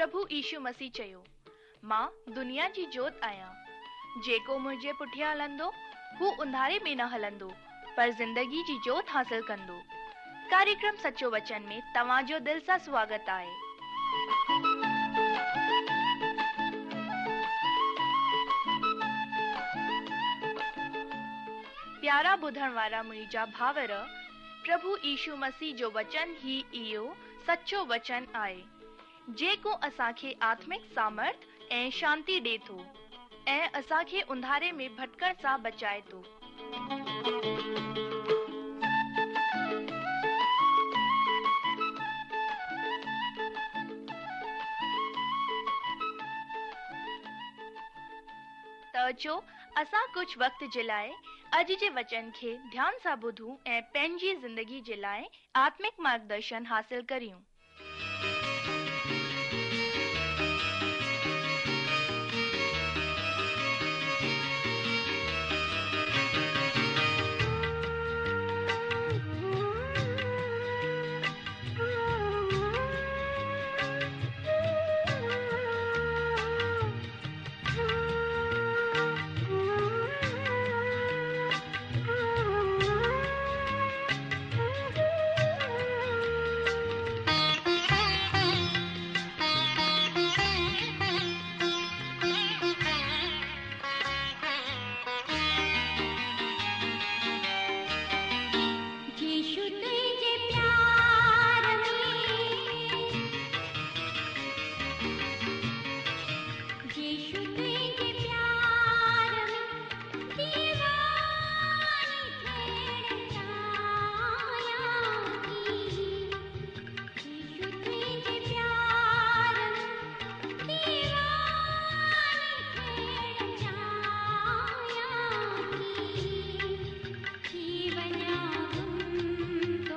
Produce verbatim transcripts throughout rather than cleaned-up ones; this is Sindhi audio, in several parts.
پرڀو يشو مسيح چيو، مان دنيا جي جوت آهيان. جيڪو منهنجي پٺيان هلندو، هو انڌاري ۾ نه هلندو، پر زندگي جي جوت حاصل ڪندو. ڪاريڪرم سچو وچن ۾ توهان جو دل سان سواگت آهي. پيارا ٻڌڻ وارا منهنجا ڀائر، پرڀو يشو مسيح جو وچن ئي اهو سچو وچن آهي، جيڪو اسان کي آتمڪ سامرٿ ۽ شانتي ڏي ٿو ۽ اسان کي انڌاري ۾ ڀٽڪڻ سان بچائي ٿو. ته اچو اسان ڪجهه وقت جي لاء اڄ جي وچن کي ڌيان سان ٻڌون ۽ پنهنجي زندگي جي لاء آتمڪ مارگدرشن حاصل ڪريون. يشو تنهنجي پيار ۾، يشو تنهنجي پيار ۾ ديواني ٿيڻ چاهيان ٿي. يشو تنهنجي پيار ۾ ديواني ٿيڻ چاهيان ٿي. ٿي وڃان گم تو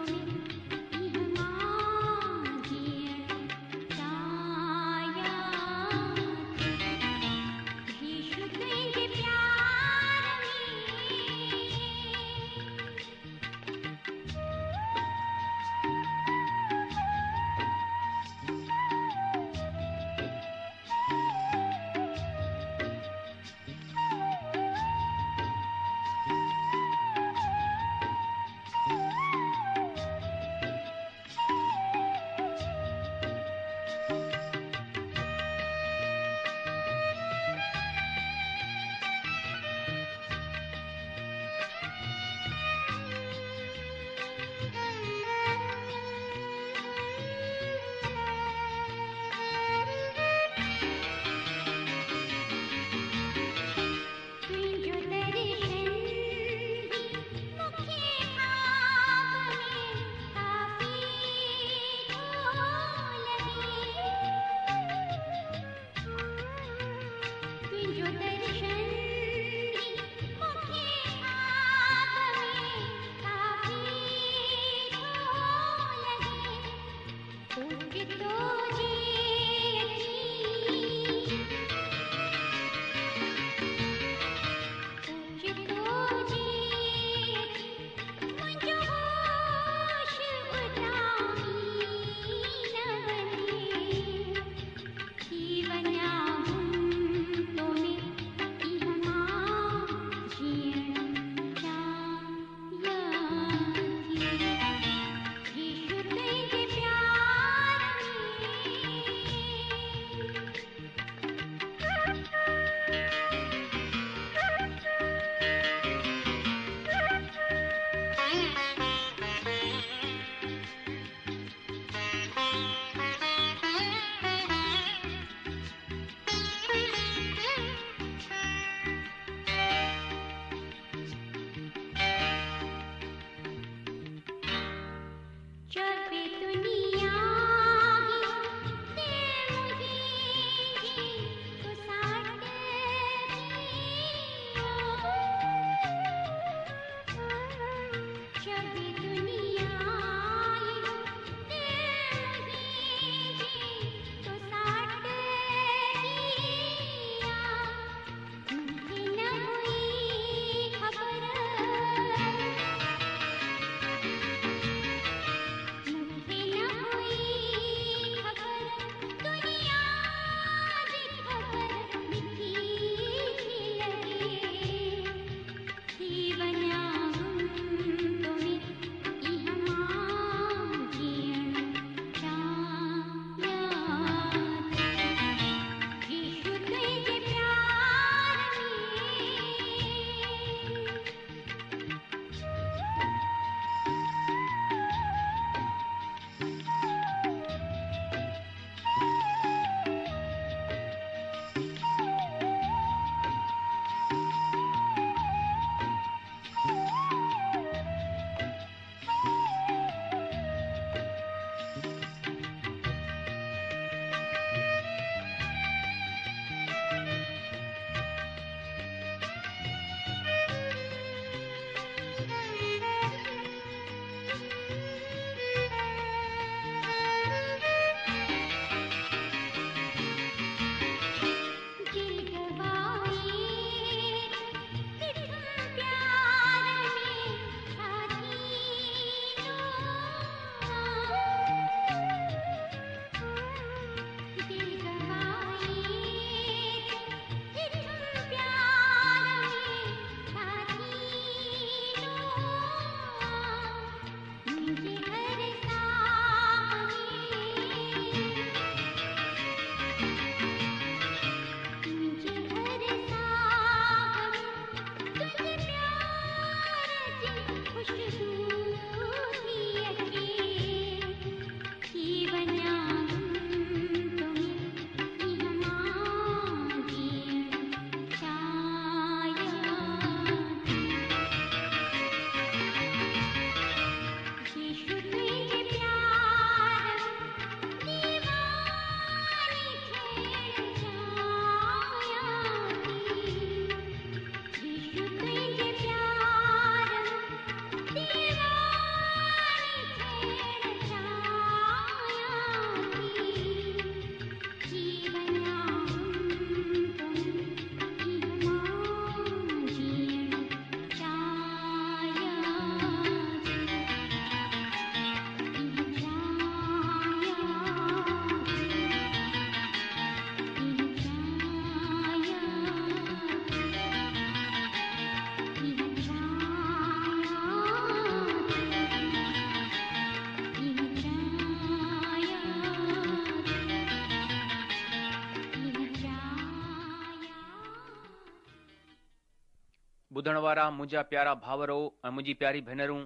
ٻڌڻ وارا منهنجا پيارا ڀائرو ۽ منهنجي پياري ڀينرون،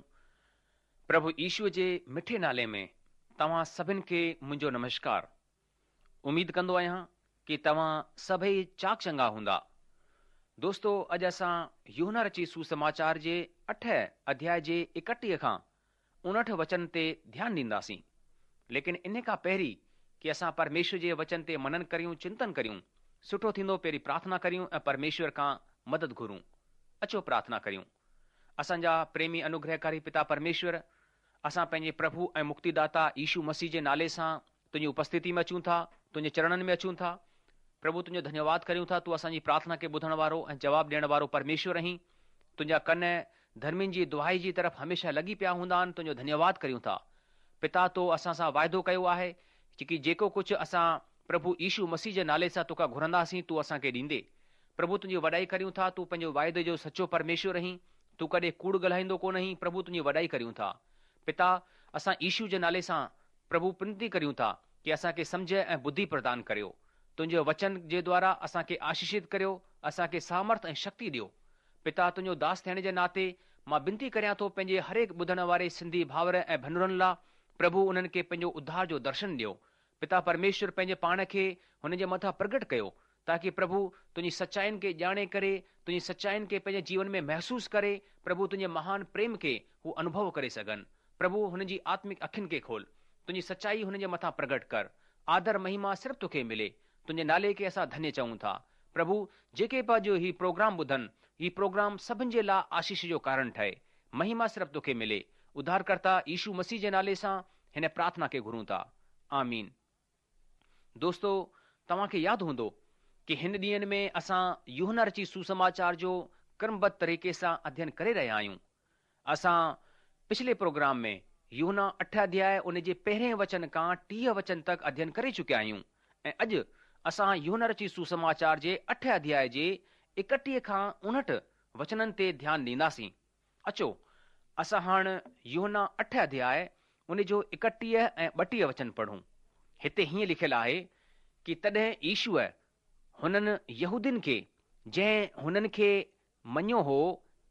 پرڀو يشوء جي مٺي نالي ۾ توهان سڀن کي منهنجو نمشڪار. اميد ڪندو آهيان ڪي توهان سڀئي چاڪ چڱا هوندا. دوستو اڄ اسان يوحنا رچي سوسماچار جي اٺ اڌياء جي ايڪٽيهه کان اڻهٺ وچن تي ڌيان ڏينداسين. ليڪن ان کان پهرين ڪي اسان پرميشور جي وچن تي منن ڪريون چنتن ڪريون، سٺو ٿيندو پهرين پرارٿنا ڪريون ۽ پرميشور کان مدد گهرون. اچو پرارٿنا ڪريون. اسان جا پريمي انوگرهڪاري پتا پرميشور، اسان پنهنجي پرڀو ۽ مڪتيداتا يشو مسيح جي نالي سان تنهنجي اپسٿتي ۾ اچون ٿا، تنهنجي چرڻن ۾ اچون ٿا. پرڀو تنهنجو ڌنيواد ڪريون ٿا، تون اسان جي پرارٿنا کي ٻڌڻ وارو ۽ جواب ڏيڻ وارو پرميشور آهين. تنهنجا ڪن ڌرمين جي دهائي جي طرف هميشه لڳي پيا هوندا آهن، تنهنجو ڌنيواد ڪريون ٿا. پتا تو اسان سان واعدو ڪيو آهي ڪي جيڪو ڪجهه اسان پرڀو يشو مسيح جي نالي سان توکان گهرنداسين تون اسان کي ڏيندي. پرڀو تنهنجي وڏائي ڪريون ٿا، تون پنهنجو واعدي جو سچو پرميشور آهين، تون ڪڏهن ڪوڙ ڳالهائيندو ڪونه آهين، پرڀو تنهنجي وڏائي ڪريون ٿا. پتا اسان يشو جي نالي سان پرڀو ونتي ڪريون ٿا ڪي اسان کي سمجهه ۽ ٻڌي پردان ڪريو. تنهنجي وچن جي دوارا اسان کي آشيشت ڪريو، اسان کي سامرٿ ۽ شڪتي ڏيو. پتا تنهنجو داس ٿيڻ جي ناتي مان ونتي ڪريان ٿو پنهنجي هر هڪ ٻڌڻ واري سنڌي ڀائر ۽ ڀينرن لاءِ پرڀو انهن کي پنهنجو اڌار جو درشن ڏيو. پتا پرميشور پنهنجي پاڻ کي هن جي مٿان پرگٽ ڪيو تاڪه پرڀو تنهنجي سچائين کي ڄاڻي ڪري تنهنجي سچائين کي پنهنجي جيون ۾ محسوس ڪري پرڀو تنهنجي مهان پريم کي هو انوڀو ڪري سگهن. پرڀو هن جي آتمڪ اکين کي کول، تنهنجي سچائي هن جي مٿان پرگٽ ڪر. آدر مهما صرف توکي ملي. تنهنجي نالي کي اسان ڌنيه چئون ٿا. پرڀو جيڪي به اڄ هي پروگرام ٻڌن، هي پروگرام سڀن جي لاءِ آشيش جو ڪارڻ ٺهي. مهما صرف توکي ملي. اڌارڪرتا يشو مسيح جي نالي سان هن پرارٿنا کي گهرون ٿا. آمين. دوستو توهان کي ياد هوندو ڪي هن ڏينهن ۾ اسان يوحنا رچي سوسماچار جو ڪرمبڌ طريقي سان اڌيين ڪري رهيا آهيون. اسان پڇلي پروگرام ۾ يوحنا اٺ اڌياء ان جي پهرين وچن کان ٽيهه وچن تڪ اڌيين ڪري چڪيا آهيون ۽ اڄ اسان يوحنا رچي سوسماچار جي اٺ اڌياء جي ايڪٽيهه کان اڻهٺ وچنن تي ڌيان ڏينداسين. اچو اسان هاڻ يوحنا اٺ اڌياء ان جو ايڪٽيهه ۽ ٻٽيهه وچن پڙهون. هتي هيئن لکيل آهي ڪي تڏهن يشوء هنن يهودين کي جنهن هنن کي مڃيو هو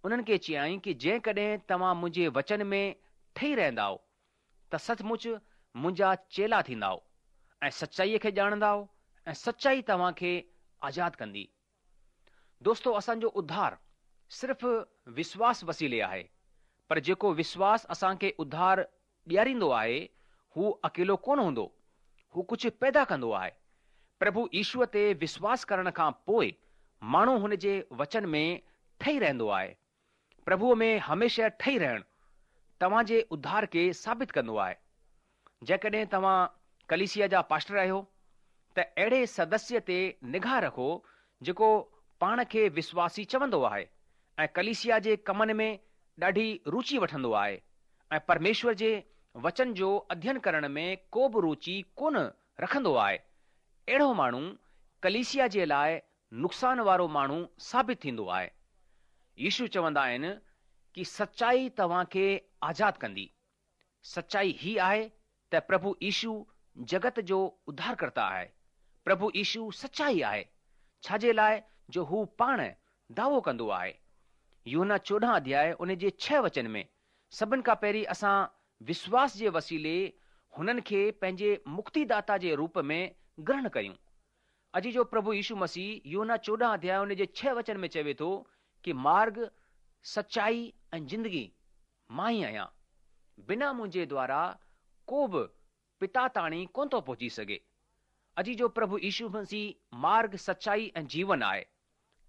انهن کي چيائين ڪي جيڪڏهن توهان منهنجي وچن ۾ ٺهي رهندائو ته سچ مچ منهنجا چيلا ٿيندائو ۽ سچائيءَ کي ڄاڻندائو ۽ سچائي توهان کي آزاد ڪندي. دوستو اسان جو اڌار صرف وشواس وسيلي آهي، پر جيڪو وشواس اسان کي اڌار ڏياريندو آهي هو اڪيلو ڪونه هوندو، هو ڪجهه پيدا ڪندو آهي. پرڀو يشوء تي وشواس ڪرڻ کان پوءِ ماڻهو هن جي وچن ۾ ٺهي رهندو آهي. پرڀوءَ ۾ هميشه ٺهي رهڻ توهان جي اڌار کي ثابت ڪندو آهي. جيڪڏهن توهان ڪليسيا جا پاسٽر آهيو ته اهڙي سدسيه تي نگاهه رکو جيڪو پاڻ کي وشواسي چوندو آهي ۽ ڪليسيا جي ڪمن ۾ ڏاڍي رچي وٺندو آهي ۽ پرميشور جي وچن جو اڌيين ڪرڻ ۾ ڪو به رچي ڪونه رکندو آهي. اهڙو ماڻهو ڪليسيا جي لاءِ نقصان وارو ماڻهو ثابت ٿيندو آهي. يشو چوندا آهن ڪي سچائي توهان کي آزاد ڪندي. سچائي هي آهي ته پرڀو يشو جگت جو اڌارڪرتا آهي. پرڀو يشو سچائي آهي، ڇا جي لاءِ جو هو پاڻ دعوو ڪندو آهي. يوحنا چوڏهن اڌياء ان جي ڇهه وچن ۾ سڀن کان پهرين اسان وشواس جي وسيلي هنن کي پنهنجي مڪتيداتا جي روپ ۾ گرهڻ ڪيون. اڄ جو پرڀو يشو مسيح يوحنا چوڏهن اڌياء ان جي ڇهه وچن ۾ چوي ٿو ڪي مارگ، سچائي ۽ زندگي مان ئي آهيان. بنا منهنجي دوارا ڪو به پتا تاڻي ڪونه ٿو پهچي سگهي. اڄ جو پرڀو يشو مسيح مارگ، سچائي ۽ جيون آهي.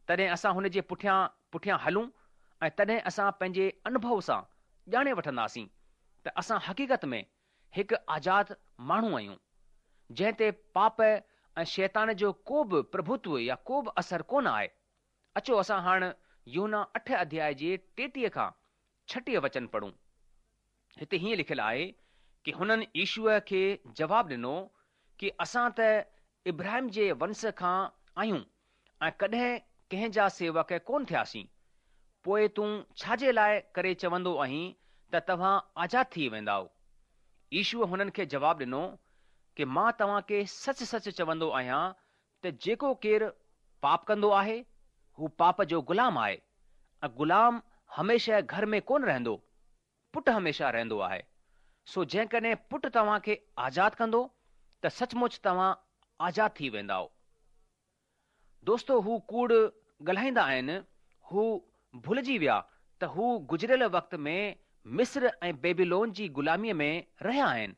تڏهن اسان هن جي پٺيان پٺيان هلون ۽ تڏهن اسان پنهنجي انوڀو سان ڄاڻي وٺنداسين ته اسان حقيقت ۾ هڪ آزاد ماڻهو آهيون، جنهن تي پاپ ۽ شيطان جو ڪو به پرڀتو يا ڪو به اثر ڪونه آهي. اچو اسان هاڻ يوحنا اٺ اڌياء جي ٽيٽيهه کان ڇٽيهه وچن پڙهون. هتي هيئن لکيل آهي ڪي هنن يشوءَ کي جواب ڏنو ڪي اسان ته ابراهيم جي ونش کان آهيون ۽ ڪڏهن ڪنهن جا سيوڪ ڪونه ٿياسين. پوءِ تون ڇا جي لاءِ ڪري چوندو آهين ته توهان آزاد ٿي ويندائو؟ يشوءَ هنن کي جواب ڏنو ڪي مان توهان کي سچ سچ چوندو آهيان ته جيڪو ڪير پاپ ڪندو آهي هو پاپ جو غلام آهي ۽ غلام هميشه گهر ۾ ڪونه رهندو، پٽ هميشه رهندو آهي. سو جيڪڏهن پٽ توهان کي آزاد ڪندو ته سچ مچ توهان آزاد ٿي ويندائو. دوستو هو ڪوڙ ڳالهائيندا آهن، هو ڀلجي ويا ته هو گذريل وقت ۾ مصر ۽ بيبيلون جي غلاميء ۾ رهيا آهن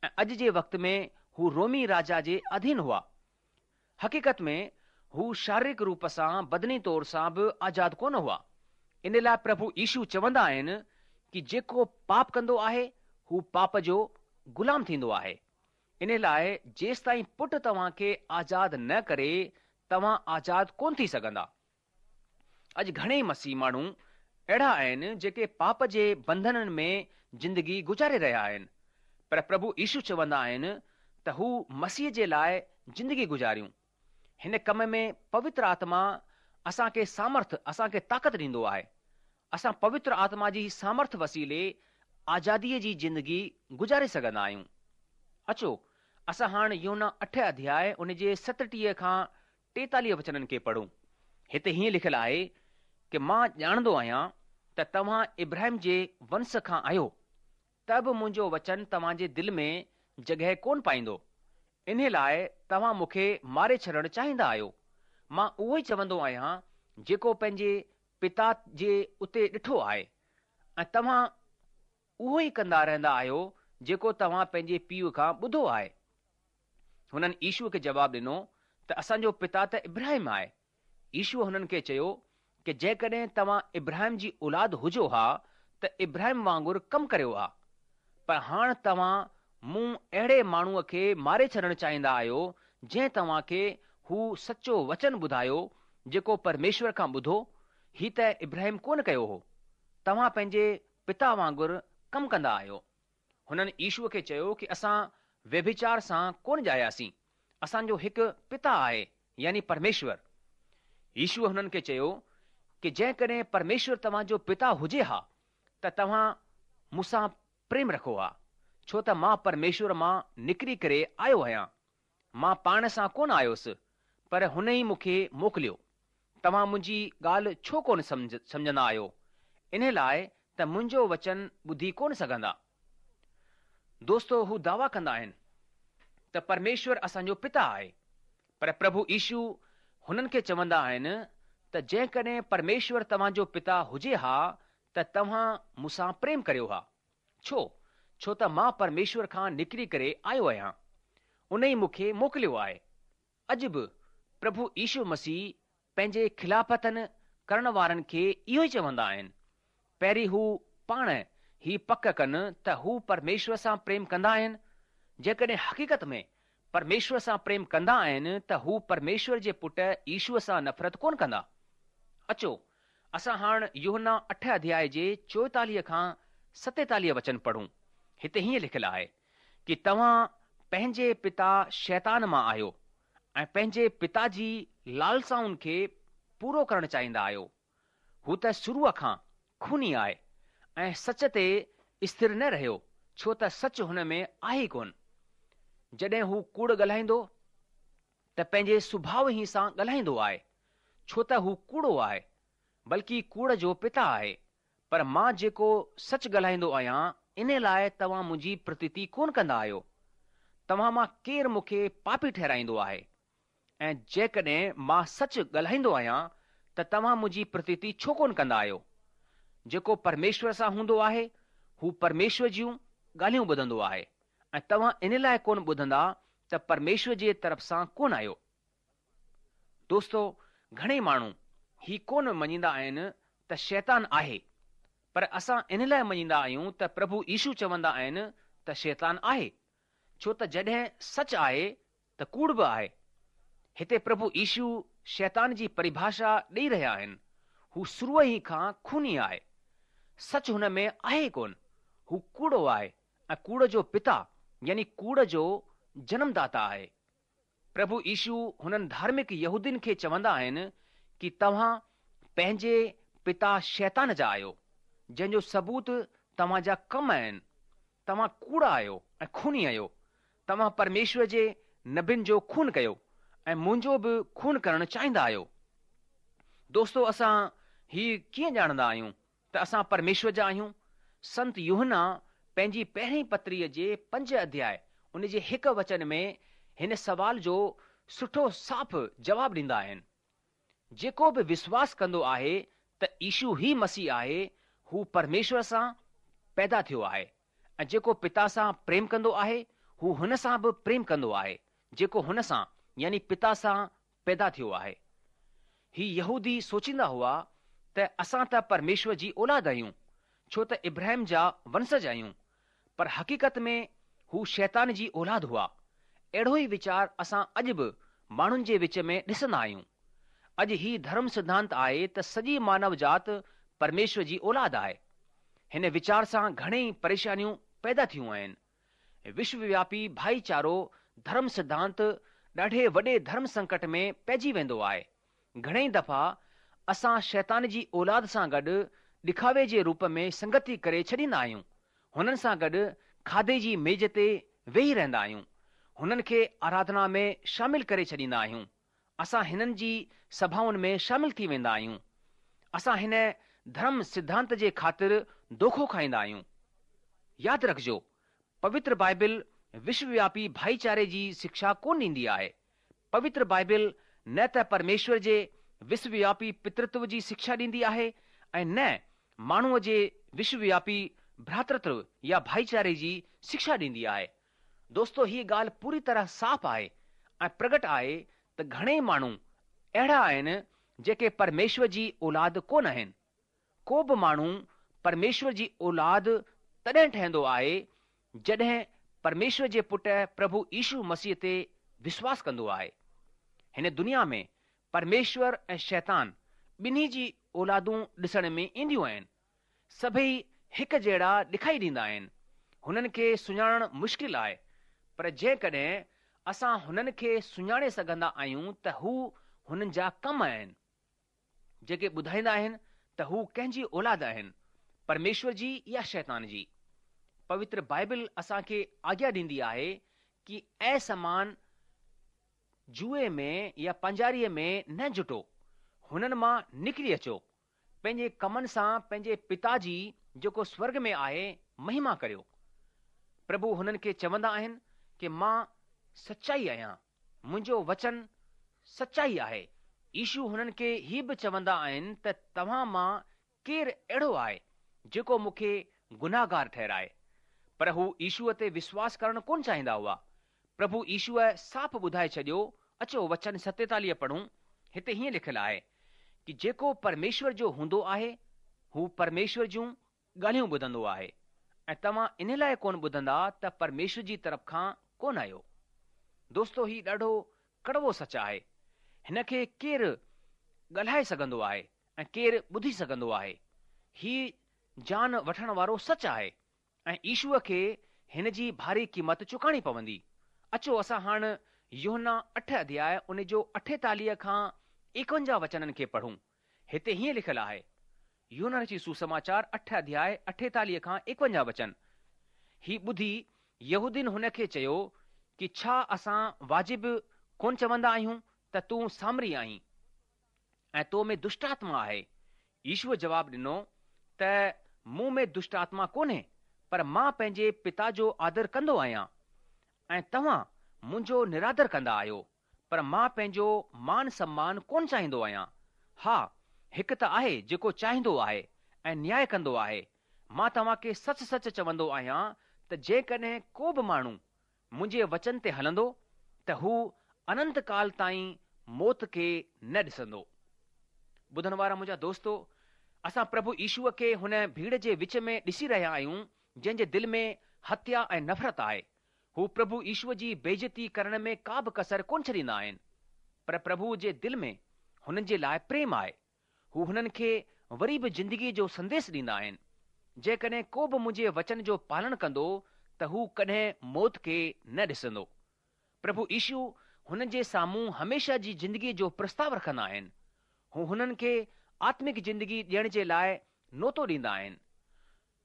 ۽ اڄ جي وقت ۾ هو رومي راجا جي اڌين هئا. حقيقت ۾ هو شاريرڪ روپ سان بدني طور سان به آزاد ڪونه هئا. ان لاء پرڀو يشو چوندا آهن ڪي جيڪو پاپ ڪندو آهي هو پاپ جو غلام ٿيندو آهي. ان لاء جيستائين پٽ توهان کي آزاد نه ڪري توهان آزاد ڪونه ٿي سگهندا. اڄ گهڻيئي مسيح ماڻهو اهڙا آهن جيڪي پاپ جي بنڌنن ۾ زندگي گذاري رهيا آهن. پر پرڀو يشو چوندا آهن ته هو مسيح جي لاء زندگي گذاريون. هن ڪم ۾ پوتر آتما اسان کي سامرٿ، اسان کي طاقت ڏيندو آهي. اسان پوتر آتما جي سامرٿ وسيلي آزاديء جي زندگي گذاري سگهندا آهيون. اچو، اسان هاڻ يوحنا اٺ اڌياء ان جي ستٽيهه کان ٽيتاليهه وچنن کي پڙهون. هتي هيئن لکيل آهي ڪي مان ڄاڻندو آهيان ته توهان ابراهيم جي ونس کان آهيو، ته به منهنجو وچن توهان جي دل ۾ جڳهه ڪونه پائيندو. انهي لاء توهان مون کي ماري ڇڏڻ چاهيندا آهيو. مان اهو ئي چوندو آهيان جيڪو پنهنجي پتا جي اتي ڏٺو آهي ۽ توهان اهو ئي ڪندا رهندا آهيو جيڪو توهان پنهنجي پيء کان ٻڌو آهي. هنن يشوء کي جواب ڏنو ته اسان جو پتا ته ابراهيم آهي. يشوء هنن کي چيو ڪي جيڪڏهن توهان ابراهيم جي اولاد هجو ها ته ابراهيم وانگر ڪم ڪريو ها. پر هاڻ توهان مون اهڙي ماڻهوء کي ماري ڇڏڻ چاهيندا آهيو جنهن توهان کي هو سچو وچن ٻڌايو جيڪو پرميشور کان ٻڌو، هي ته ابراهيم ڪونه ڪيو هو. توهان پنهنجي پتا وانگر ڪم ڪندا آهيو. هنن يشوء کي چيو ڪي اسان ويڀچار سان ڪونه ڄاياسين، اسان جو هڪ پتا آهي يعني پرميشور. يشوء هنن کي چيو ڪي جيڪڏهن پرميشور توهان جو پتا هجي ها ته توهان مون سان پريم رکو ها، ڇو ته مان پرميشور مان نڪري ڪري آيو آهيان. مان پاڻ سان ڪونه آيوس، پر هن ئي مون کي موڪليو. توهان منهنجي ڳالهه ڇو ڪونه سمجهندا آهيو؟ انهي لاء ته منهنجو وچن ٻڌي ڪونه سگهندا. دوستو هو دعويٰ ڪندا آهن ته پرميشور اسان جو پتا آهي، پر پرڀو يشو هنن کي چوندا آهن ته جيڪڏهن پرميشور توهان جو پتا هجي ها ته توهان مون سان پريم ڪريو ها. ڇو؟ ڇو ته مان پرميشور کان نڪري ڪري آيو آهيان. ان ئي مون کي موڪليو آهي. اڄ به پرڀو يشو مسيح پنهنجي خلافتن ڪرڻ وارن کي اهو ئي چوندا آهن. پهرين هو پاڻ هي پڪ ڪن ته هو پرميشور سان پريم ڪندا آهن. جيڪڏهن حقيقت ۾ پرميشور سان پريم ڪندا آهن ته هو پرميشور جي پٽ يشوء سان نفرت ڪونه ڪندا. اچو، اسان هاڻ يوحنا اٺ اڌياء جي چوئيتاليهه کان ستيتاليهه وچن پڙهون. هتي هيئن لکيل آهي ڪي توهان پنهنجي پتا شيطان مان آهيو ۽ پنهنجي پتا جي لالسائن کي پورو ڪرڻ چاهيندا آهيو. هو ته شروع کان خوني آهي ۽ سچ تي اسٿر نه رهيو ڇو ته سچ هن ۾ آهي ڪونه. جڏهن هو ڪوڙ ڳالهائيندو ته پنهنجي سڀاء ئي سان ڳالهائيندو آهي، ڇو ته هو ڪوڙو آهي، بلڪه ڪوڙ جو پتا آهي. پر مان جيڪو سچ ڳالهائيندو آهيان، انهي لاء توهان منهنجي پرتيتي ڪونه ڪندا آهيو. توهان مان ڪير مون کي پاپي ٺهرائيندو آهي؟ ۽ جيڪڏهن مان سچ ڳالهائيندو آهيان ته توهان منهنجي پرتيتي ڇو ڪونه ڪندا آهيو؟ جيڪو پرميشور سان هوندو آهي، هو پرميشور جون ڳالهيون ٻڌندو آهي ۽ توهان ان لاء ڪونه ٻڌندا ته پرميشور جي طرف سان ڪونه آهيو. دوستو، گهڻيئي ماڻهو هي ڪونه مڃيندا آهن ته شيطان آهي، پر اسان ان لاء مڃيندا آهيون ته پرڀو يشو چوندا آهن ته شيطان آهي، ڇو ته جڏهن سچ آهي ته ڪوڙ به آهي. هتي پرڀو يشو شيطان جي پريڀاشا ڏئي رهيا آهن، هو شروع ئي کان خوني آهي. سچ هن ۾ آهي ڪونه، هو ڪوڙو آهي ۽ ڪوڙ جو پتا يعني ڪوڙ جو جنمداتا آهي. پرڀو يشو هنن ڌارمڪ يهودين کي چوندا آهن ڪي توهان پنهنجي پتا شيطان جا آهيو، جنهن جو ثبوت توهان جا ڪم آهن. توهان ڪوڙا آهيو ۽ خوني آهيو. توهان پرميشور جي نبين جو خون ڪيو ۽ منهنجو به خون ڪرڻ چاهيندا آهيو. دوستو اسان هي ڪيئن ڄاڻندا آهيون ته اسان پرميشور جا آهيون؟ سنت يوحنا پنهنجي پهرين پتريء جي پنج اڌياء ان جي هڪ وچن ۾ هن سوال جو سٺو صاف جواب ڏيندا آهن. جيڪو به وشواس ڪندو آهي ته يشو ئي مسيح آهي، هو پرميشور سان پيدا ٿيو آهي ۽ جيڪو پتا سان پريم ڪندو آهي، هو هن سان به پريم ڪندو آهي، جيڪو هن سان يعني پتا سان پيدا ٿيو آهي. هي يهودي سوچيندا هئا ته اسان ته پرميشور جي اولاد آهيون، ڇو ته ابراهيم جا ونشج آهيون، پر حقيقت ۾ هو شيطان جي اولاد هئا. اهڙو ئي ويچار اسان اڄ به ماڻهن جي وچ ۾ ڏسندا آهيون. اڄ هي ڌرم سڌانت آهي ته سڄي مانو جات پرميشور جي اولاد آهي. هن ويچار سان گهڻيئي پريشانيون پيدا ٿيون آهن. وشووياپي ڀائيچارو ڌرم سڌانت ڏاڍي وڏي ڌرم سنڪٽ ۾ پئجي ويندو آهي. گهڻيئي دفعا اسان شيطان جي اولاد سان گڏ ڏکاوي جي روپ ۾ سنگتي ڪري ڇڏيندا آهيون. هنن سان گڏ کاڌي جي ميز تي ويهي رهندا آهيون. هنن کي آراڌنا ۾ شامل ڪري ڇڏيندا آهيون. اسان هنن جي سڀائن ۾ شامل ٿي ويندا آهيون. اسان هن ڌرم سڌانت جي خاطر دوکو کائيندا آهيون. ياد رکجو، پوتر بائبل وشووياپي ڀائيچاري جي شکشا ڪونه ڏيندي آهي. پوتر بائبل نه ته پرميشور جي وشووياپي پترتو جي شکشا ڏيندي آهي ۽ نه ماڻهوءَ جي وشووياپي ڀراترتو يا ڀائيچاري جي شکشا ڏيندي آهي. دوستو، هيءَ ڳالهه پوري طرح صاف آهي ۽ پرگٽ آهي ته گهڻيئي ماڻهو اهڙا آهن جيڪي پرميشور جي اولاد ڪونه آهن. ڪو به ماڻهو پرميشور جي اولاد تڏهن ٺهندو آهي جڏهن پرميشور جي پٽ پرڀو يشو مسيح تي وشواس ڪندو آهي. هن دنيا ۾ پرميشور ۽ شيطان ٻنهي جي اولادون ڏسڻ ۾ اينديون آهن. سڀئي هڪ جهڙا ڏکائي ڏيندا آهن. هنن کي سڃاڻڻ مشڪل آهي، پر جيڪڏهن اسان هنن کي سڃاڻي سگهندا آهيون ته هو هنن جا ڪم آهن، جيڪي ٻڌائيندا آهن ته هو ڪنهن جي اولاد آهن، پرميشور جي يا شيطان جي. پوتر بائبل اسان کي آگيا ڏيندي آهي ڪه اسمان جوئي ۾ يا پنجاريءَ ۾ نه جٽو، هنن مان نڪري اچو. پنهنجي ڪمن سان پنهنجي پتا جي جيڪو سورگ ۾ آهي مهما ڪريو. پرڀو هنن کي چوندا آهن ڪه مان سچائي آهيان، منهنجو وچن سچائي آهي. يشو هنن کي هي به چوندا آهن ته توهان مان ڪير اهڙو آهي جيڪو مون کي گناهگار ٺهرائي؟ پر هو يشوءَ تي وشواس ڪرڻ ڪونه چاهيندا هئا. پرڀو يشوءَ صاف ٻڌائي ڇڏيو. اچو وچن ستيتاليهه پڙهون. هتي هيئن لکيل آهي ڪه جيڪو پرميشور جو هوندو آهي هو پرميشور جون ڳالهيون ٻڌندو آهي ۽ توهان ان لاءِ ڪونه ٻڌندا ته پرميشور جي طرف کان ڪونه آهيو. دوستو، هي ڏاڍو ڪڙوو سچ آهي. هن کي ڪير ڳالهائي سگهندو آهي ۽ ڪير ٻڌي سگهندو آهي؟ هي جان وٺڻ وارو سچ آهي ۽ يشوءَ کي هن جي ڀاري قيمت چڪاڻي پوندي. اچو اسان هاڻ يوحنا اٺ اڌياء ان جو اٺيتاليهه کان ايڪونجاهه وچنن کي پڙهون. هتي هيئن لکيل آهي، يوحنا جي سوسماچار اٺ اڌياء اٺيتاليهه کان ايڪونجاهه وچن. هي ٻڌي يهودين هن کي چيو ڪه ڇا اسان واجب ڪونه چوندا آهيون ته تون سامري آهين ۽ تو ۾ دشٽ آتما آهي؟ يشوءَ جواب ڏنو ته مون ۾ دشٽ آتما ڪونهي، پر مان پنهنجي پتا جو آدر ڪندو آهيان ۽ توهان منهنجو نرادر ڪندا آهيو، پر مان پنهنجو مان سمان ڪونه چاهيندو آهيان. ها، هڪ ته آهي جيڪو چاهيندو آهي ۽ نياءُ ڪندو آهي. مان توهان کي سچ سچ چوندو آهيان ته جيڪڏهن ڪو به ماڻهو منهنجي وچن تي هلندو ته هو اننت ڪال تائين موت کي نه ڏسندو. ٻڌڻ وارا منهنجا دوستو، اسان پرڀو يشوءَ کي هن ڀيڙ جي وچ ۾ ڏسي رهيا آهيون جنهن جي دل ۾ هتيا ۽ نفرت آهي. هو پرڀو يشوءَ جي بيعزتي ڪرڻ ۾ ڪا به ڪسر ڪونه ڇڏيندا آهن، پر پرڀوءَ جي دل ۾ هنن جي لاءِ پريم آهي. هو هنن کي وري به زندگيءَ جو سنديش ڏيندا آهن. جيڪڏهن ڪو به منهنجي وچن جو پالن ڪندو ته هو ڪڏهن موت کي نه ڏسندو. پرڀو يشو هنن جي سامهون هميشه جي زندگيءَ جو پرستاو رکندا آهن. هو هنن کي آتمڪ زندگي ڏيڻ جي لاءِ نوتو ڏيندا آهن.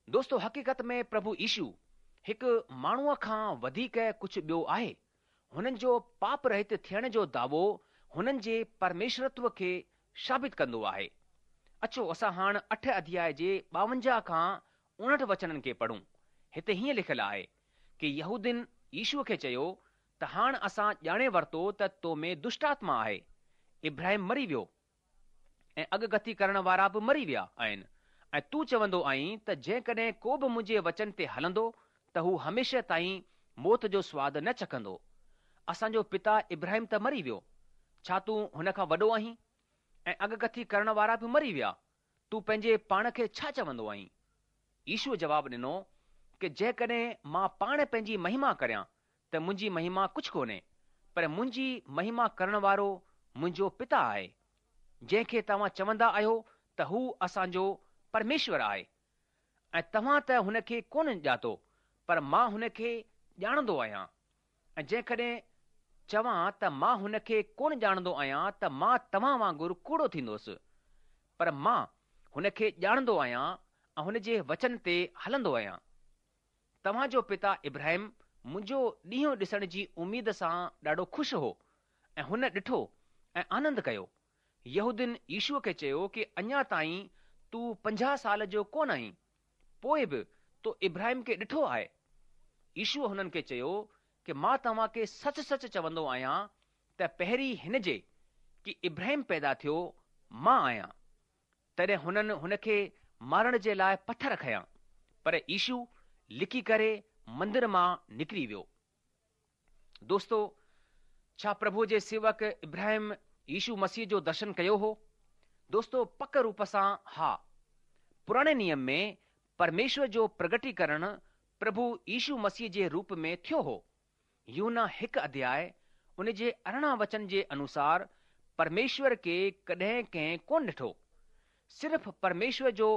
دوستو، حقيقت ۾ پرڀو يشو هڪ ماڻهوءَ کان وڌيڪ ڪجهه ٻيو آهي. هنن جو پاپ رهت ٿيڻ جو دعوو هنن جي پرميشورتو کي ثابت ڪندو آهي. اچو اسان هاڻ اٺ اڌياءِ جي ٻاونجاهه کان اوڻهٺ وچنن کي پڙهون. هتي هيئن لکيل آهي ڪه يهودين يشوء کي چيو ته هاڻ اسان ڄاڻي ورتو ته تو ۾ دشٽ آتما آهي. ابراهيم مري ويو ۽ اڳڪٿي ڪرڻ وارا به مري ويا آهن ۽ تون چوندو آهين ته جيڪڏهن ڪو به منهنجي وچن تي هلندو ته هو هميشه تائين موت جو سواد نه چکندو. اسان جو پتا ابراهيم ته مري ويو، ڇا تون هن کان وڏو آهين؟ ۽ اڳڪٿي ڪرڻ وارا به مري ويا، تون پنهنجي پاڻ کي ڇا چوندو آهين؟ يشوء جواب ڏنو ڪه جيڪڏهن مان پاڻ پنهنجي مهما ڪريان ته منهنجي مهما ڪجهه ڪونهي، پر منهنجي مهما ڪرڻ وارو منهنجو پتا آهي، جنهن کي توهان چوندا آهيو ته هو اسان جو پرميشور آهي. ۽ توهان ته هن کي ڪونه ڄاتو، پر مان هن کي ڄاڻندو آهيان. ۽ جيڪڏهن چوان ته مان هن کي ڪونه ڄاڻندو آهيان ته مان توهان وانگر ڪوڙو ٿيندس، پر مان هن کي ڄاڻندو آهيان ۽ هن جي وچن تي هلندو آهيان. توهان جو پتا ابراهيم منهنجو ڏينهن ڏسڻ جي اميد سان ڏاڍو خوش هو ۽ هن ڏٺو ۽ آنند ڪيو. يهودين يشوء کي چيو ڪه اڃا تائين تون پنجاهه سال جو ڪونه آهين، پوءِ به تو ابراهيم کي ڏٺو آهي. يشوء هنن کي چيو ڪه مان توهان کي سچ سچ چوندو آهيان ته پهرين هن جي ڪه ابراهيم پيدا ٿيو مان آهيان. تڏهن هنن هن کي مارڻ جي لاءِ پٿر کنيا، پر يشو لڪي ڪري مندر مان نڪري ويو. دوستو، ڇا پرڀوءَ جي سيوڪ ابراهيم يشو مسيح جو درشن ڪيو هو؟ دوستو، پڪ روپ سان ها. پراڻي نيم ۾ پرميشور جو پرگٽيڪرڻ پرڀو يشو مسيح جي روپ ۾ ٿيو هو. يوحنا هڪ اڌياءِ ان جي ارڙهن وچن جي انوسار پرميشور کي ڪڏهن ڪنهن ڪونه ڏٺو. صرف پرميشور جو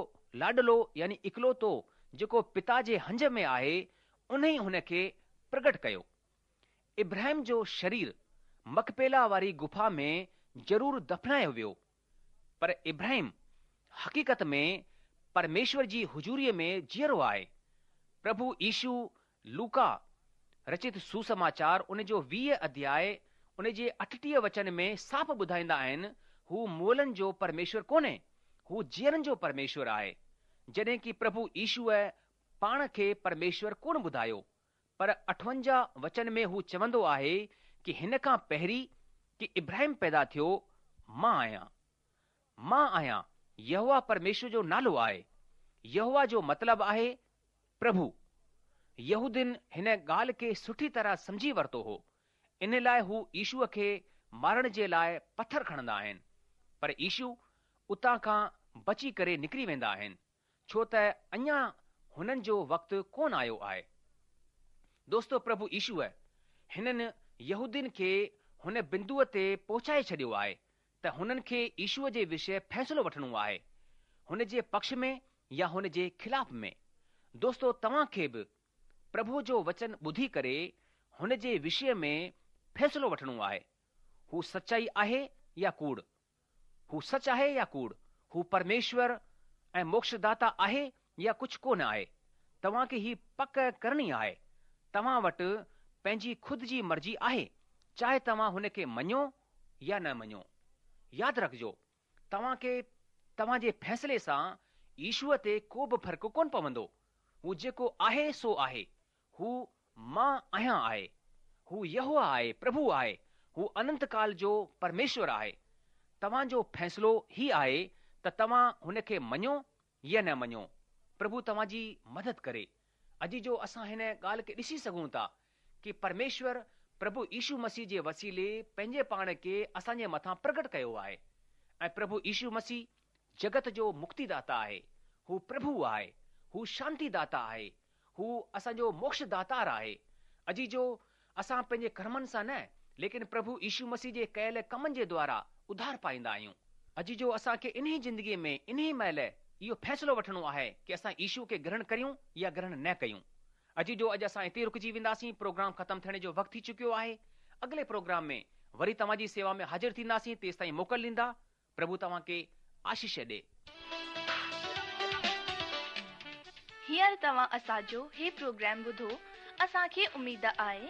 لاڏلو يعني اڪلوتو جيڪو پتا جي هنج ۾ آهي، ان ئي هن کي پرگٽ ڪيو. ابراهيم جو شرير مڪپيلا واري گفا ۾ ضرور دفنايو ويو، پر ابراهيم حقيقت ۾ پرميشور جي حضوريءَ ۾ جيئرو آهي. پرڀو يشو لوڪا رچت سسماچار ان جو ويهه اڌياءِ ان جي اٺٽيهه وچن ۾ صاف ٻڌائيندا آهن، هو مئلن جو پرميشور ڪونهي، هو جيئرن جو پرميشور آهي. جڏهن ڪه پرڀو يشوءَ پاڻ کي پرميشور ڪونه ٻڌايو، پر اٺونجاهه وچن ۾ هو چوندو آهي ڪه هن کان پهرين ڪه ابراهيم پيدا ٿيو مان آهيان. مان آهيان يهوه پرميشور جو نالو آهي. يهوه جو مطلب آهي پرڀو. يهودين هن ڳالهه کي سٺي طرح سمجهي ورتو هو، ان لاءِ هو يشوءَ کي مارڻ جي لاءِ پٿر کڻندا آهن، پر يشو اتان کان بچي ڪري نڪري ويندا آهن، ڇو ته اڃا هنن جو وقت ڪونه آيو آهي. دوستو، پرڀو يشوءَ هنن يهودين کي هن بندوءَ تي پهچائي ڇڏيو آهي ته هنن کي يشوءَ جي وشيه فيصلو وٺڻو آهي، هن جي پڪش ۾ يا هن جي خلاف ۾. دوستو، توهان کي به پرڀوءَ جو وچن ٻڌي ڪري هن جي وشيه ۾ فيصلو وٺڻو آهي. هو سچائي آهي يا ڪوڙ؟ هو سچ آهي يا ڪوڙ؟ هو پرميشور ۽ موڪشداتا آهي يا ڪجهه ڪونه آهي؟ توهان کي هي پڪ ڪرڻي آهي. توهان وٽ پنهنجي خود جي مرضي آهي، چاهي توهان هن کي مڃو يا نه مڃو. ياد رکجو، توهان کي توهان جي فيصلي سان يشوءَ تي ڪو به فرق ڪونه پوندو. هو جيڪو آهي سو آهي. هو مان آهيان آهي. هو يهوه آهي، پرڀو آهي. هو اننت ڪال جو پرميشور آهي. توهان جو فيصلو هي آهي ته توهان هن کي مڃو يا نه مڃو. پرڀو توهان جي مدد ڪري. اڄ جو اسان هن ڳالهه کي ڏسي سگهون ٿا ڪه پرميشور پرڀو يشو مسيح جي وسيلي پنهنجي پاڻ کي اسان جي مٿان پرگٽ ڪيو آهي ۽ پرڀو يشو مسيح جگت جو مڪتيداتا آهي. هو پرڀو آهي، هو شانتي داتا آهي، هو اسان جو موڪش داتار آهي. اڄ جو اسان پنهنجي ڪرمن سان نه، ليڪن پرڀو يشو مسيح جي ڪيل ڪمن جي دوارا اڌار پائيندا آهيون. اڄ جو اسان کي انهي زندگيءَ ۾ انهي مهل اهو فيصلو وٺڻو آهي ڪه اسان يشو کي گرهڻ ڪريون يا گرهڻ نه ڪيون. اڄ جو اڄ اسان هتي رڪجي وينداسين. پروگرام ختم ٿيڻ جو وقت ٿي چڪيو آهي. اڳلي پروگرام ۾ وري توهان جي سيوا ۾ حاضر ٿينداسين. تيس تائين موڪل ڏيندا. پرڀو توهان کي آشيش ڏي. هينئر توهان اسان جو هي پروگرام ٻڌو. اسان کي اميد آهي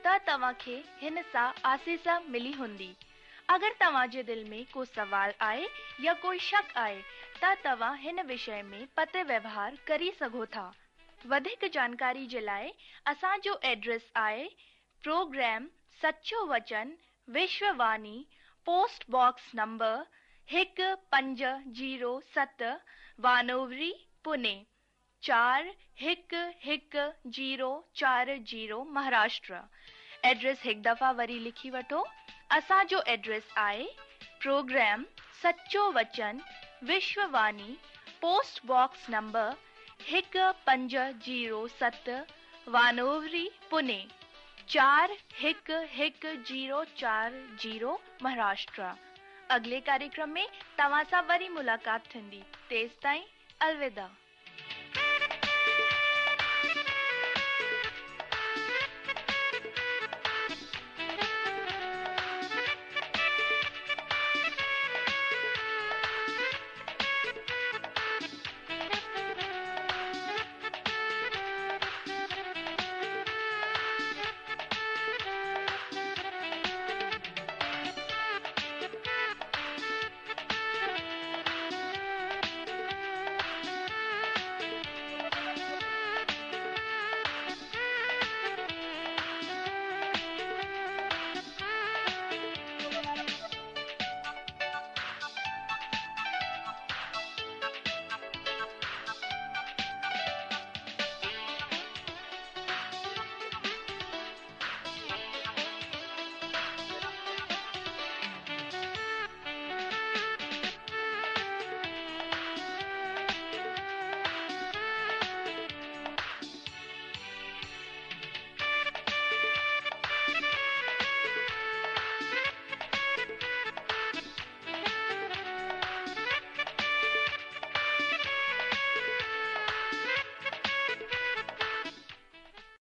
ته توهان کي هن سان آسيس ملي هوندي. اگر توهان جي دل ۾ ڪو سوال آهي يا ڪوئي شڪ آهي جتان توهان هن وشي ۾ پتر ويوهار ڪري سگهو ٿا. وڌيڪ جانڪاري جي لاءِ اسان جو ايڊريس آهي پروگرام سچو وچن وشوواڻي، پوسٽ باڪس نمبر هڪ پنج زيرو ست، وانووري، پوني چار هڪ هڪ زيرو چار زيرو، مهاراشٽر. ايڊريس هڪ دفعا وري لکي وٺو. اسان جو ايڊريس آهي پروگرام سچو وچن وشوواڻي، پوسٽ باڪس نمبر هڪ پنج زيرو ست، وانووري، پوني چار هڪ هڪ زيرو چار زيرو، مهاراشٽر. اڳلي ڪاريڪرم ۾ توهان سان وري ملاقات ٿيندي. تيستائين الوداع.